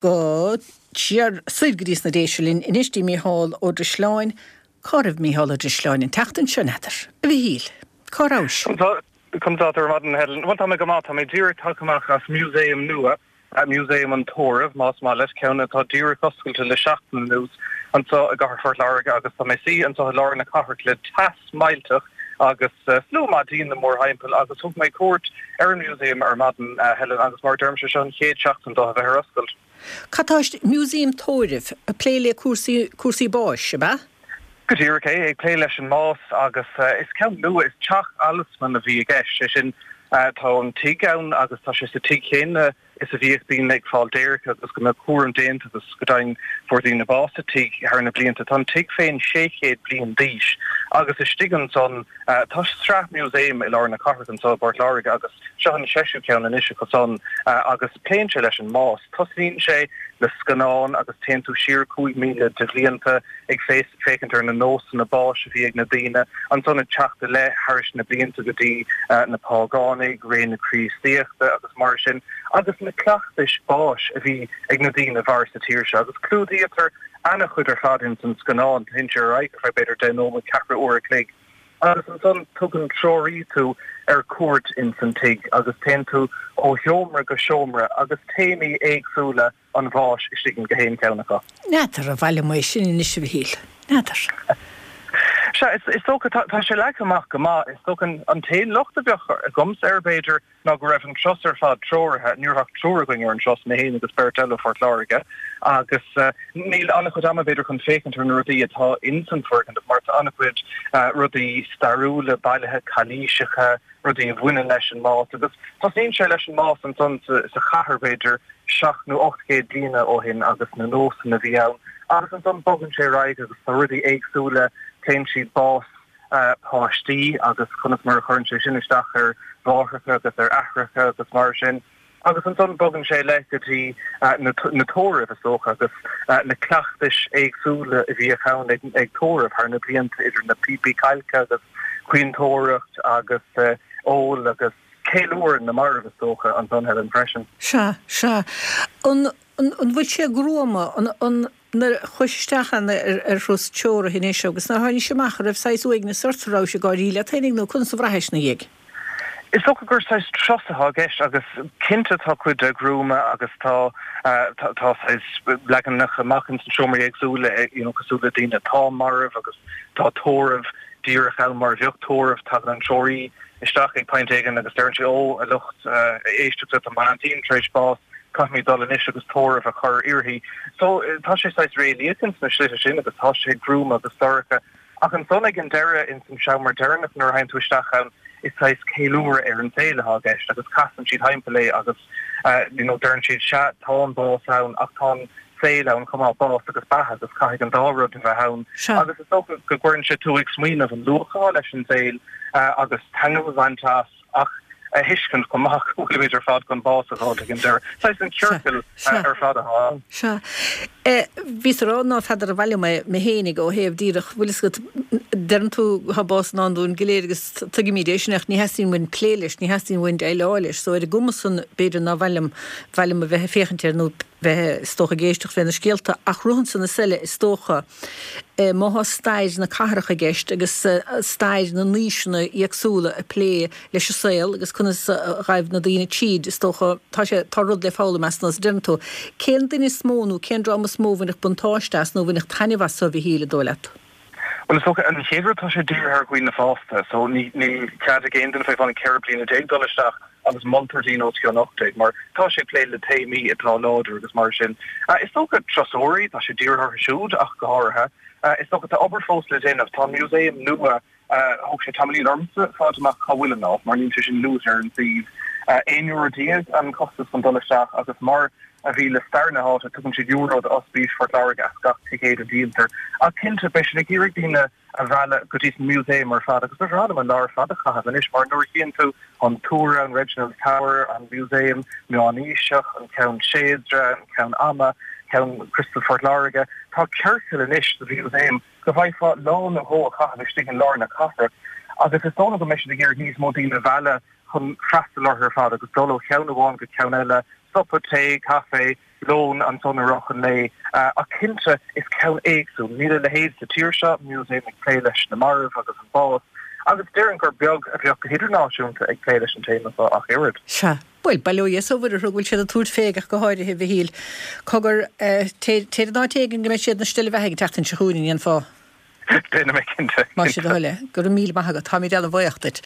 Go siar soir go dtí sna Déise linn anois dtí Mícheál Ó Drisleáin. Cá raibh Mícheál Ó Drisleáin an tseachtain seo, n'fheadar? A Mhichíl, cá rabhais? Conas tá tú ar maidin, Helen? Bhuel, tá mé go maith. Tá mé díreach tagtha amach as músaem nua, Músaem an Tórraimh, más maith leat, ceann atá díreach oscailte le seachtain anuas anseo i gcathair Phort Láirge agus tá mé suí anseo i lár na cathrach le teas millteach agus slua maith daoine mórthimpeall agus thug mé cuairt ar an Museum ar maidin, Helen, agus mar a deirimse, seo an chéad seachtain dó a bheith ar oscailt. Cad tá istigh? Museum Tórraimh, ag plé le cúrsaí, cúrsaí báis, ab ea? Go díreach é, ag plé leis an mbás agus is ceann nua, is teach Alisman a bhí i gceist, sé sin tá an tigh ann agus tá sé sa tigh chéanna is a bhíodh daoine ag fáil déirce agus go mbeadh cúram déanta agus go deimhin fuair daoine bás sa tigh thar na blianta. Tá an tigh féin 600 bliain d'aois agus istigh ansan tá sraith músaem i lár na cathrach anseo i bPort Láirge agus seo an seisiú ceann anois acu san agus pléann sé leis an mbás. Tosnaíonn sé le scannán agus téann tú siar 5,000 de bhlianta ag féachaint ar na nósanna báis a bhí ag na daoine, ansan ag teacht i leith thairis na blianta go dtí na págánaigh, ré na Críostaíochta agus mar sin, agus na cleachtais báis a bhí ag na daoine a mhair sa tír seo. Agus clúdaítear ana-chuid ar fad ins an scannán, téann sé ar aghaidh ar feadh b'fhéidir 10 nóiméad, ceathrú uair a chloig. Agus ansan tugann treoraí tú ar cuairt ins an tigh agus téann tú ó sheomra go seomra agus téamaí éagsúla an bháis istigh in gach aon cheann acu. N'fheadar ar mhaith liom é sin anois, a Mhichíl. N'fheadar. Sea, is dócha, tá sé leagtha amach go maith. Is dócha an t-aon locht a bheadh agamsa air, b'fhéidir, ná go raibh an turas ar fad treoraithe. Ní raibh ach triúr againn ar an turas, mé féin agus beirt eile ó Phort Láirge, agus níl an-chuid ama, b'fhéidir, chun féachaint ar na rudaí atá ins an bhfoirgneamh, mar tá an-chuid rudaí stairiúla bailithe, cailíseacha, rudaí a bhaineann leis an mbás agus tosnaíonn sé leis an mbás ansan sa chathair b'fhéidir seacht nó 800 bliana ó shin agus na nósanna a bhí ann agus ansan bogann sé ar aghaidh agus tá rudaí éagsúla, pléann siad bás páistí agus conas mar a chuireann sé sin isteach ar mháithreacha agus ar aithreacha agus mar sin. Agus ansan bogann sé i leith go dtí na tórraimh, is dócha, agus na cleachtais éagsúla a bhíodh ann ag tórramh thar na blianta, idir na píopaí cailce agus caointeoireacht agus ól agus ceiliúradh na marbh, is dócha, ansan, Helen, freisin. Sea, sea. An bhfuil sé gruama? An. Nuair a chuais isteach ann ar thuras treoraithe anois agus nuair a tháinís amach, an raibh saghas uaigneas ort, an rabhais ag gáirí leat fhéinig nó conas a bhraithis 'na dhiaidh? Is dócha gur saghas turas atá i gceist agus cinnte tá cuid de gruama agus tá tá saghas leaganacha amach ins na seomraí éagsúla you know cosúil le daoine atá marbh agus tá tórramh díreach ann mar a bheadh tórramh, tagann an treoraí isteach ag pointe éigin agus deireann sé 'Ó, a lucht éisteachta, tá m'aintín tar éis bás, caithfimid dul anois agus tórramh a chur uirthi. So, tá sé saghas réalaíoch ins na slite sin agus tá sé gruama agus dorcha. Ach ansan ag an deireadh, ins an seomra deireanach nuair a théann tú isteach ann, is saghas ceiliúradh ar an saol atá i gceist agus casann siad thimpeall é agus you know deireann siad 'sea, tá an bás ann ach tá an saol ann chomh maith, bás agus beatha agus caithfidh an dá rud a bheith ann. Agus is dócha go gcuireann sé tú ag smaoineamh an luach atá leis an saol agus taitneamh a bhaint as ach a thuiscint chomh maith go bhfuilimid ar fad chun bás a fháil ag an deireadh. Saghas an ciorcal ar fad atá ann. Sea. Bhíos ag rá ná feadar ar mhaith liom é mé fhéinig ó thaobh díreach, bhfuil fhios agat, deireann tú tá bás i ndán dúinn go léir agus tuigimid é sin ach ní theastaíonn uainn plé leis, ní theastaíonn uainn déileáil leis. So ar an gcuma san b'fhéidir nár mhaith liom, mhaith liom a bheith ag féachaint air nó bheith, is dócha, ag éisteacht fé na scéalta, ach rud ansan is eile, is dócha, má thá stair na cathrach i gceist agus stair na n-aoiseanna éagsúla ag plé leis an saol agus conas a ghaibh na daoine tríd, is dócha, tá sé, tá rud le foghlaim as, nós a deireann tú. Cén duine is mó nó cén dream is mó a bhainfeadh buntáiste as nó a bhainfeadh taitneamh as so, a Mhichíl, an dóigh leat? Bhuel, is dócha, an chéad rud, tá sé dírithe ar dhaoine fásta, so níl cead ag aon duine faoi bhun 14 bliana dul isteach agus moltar daoine os cionn 18 mar tá sé ag plé le téamaí atá láidir agus mar sin. Is dócha turasóirí, tá sé dírithe orthu siúd ach go háirithe. Is dócha tá obair fós le déanamh. Tá an músaem nua, thóg sé tamaillín ormsa fáilt amach cá bhfuil an áit mar níl sé sin luaite ar an suíomh. €11 an costas chun dul isteach agus mar a bhí le stair na háite, tugann siad euro d'Ospís Phort Láirge as gach ticéad a dhíoltar. Ach cinnte, beidh siad ag iarraidh daoine a mhealladh go dtí an músaem ar fad agus ba bhreá liom an lá ar fad a chaitheamh anois mar nuair a chíonn tú an túr ann, Reginald's Tower, an músaem meánaoiseach, an ceann séadra, an ceann ama, ceann Criostal Phort Láirge, tá ciorcal anois sa mhúsaem go bhfaighfeá lá nó dhó a chaitheamh istigh in lár na cathrach agus is dóigh liom go mbeidh siad ag iarraidh níos mó daoine a mhealladh chun freastal orthu ar fad agus dul ó cheann amháin go ceann eile, sopa tae, caife. Lón ansan i Ráth an Lae. Ach cinnte, is ceann éagsúil. Níl a leithéid sa tír seo, músaem ag plé leis na mairbh agus an bás. Agus déarfainn gur beag a bheadh go hidirnáisiúnta ag plé leis an téama seo ach oiread. Sea. Bhuel, bail ó Dhia is ó Mhuire orthu go bhfuil siad ag tabhairt fé ach go háirithe, a Mhichíl. Cogar, téir in áit éigin go mbeidh siad ina steillebheathaidh an tseachtain seo chugainn, an ndéanfá? Déanfaidh mé cinnte. Más é do thoil é. Go raibh míle maith agat. Táimid an-bhuíoch duit.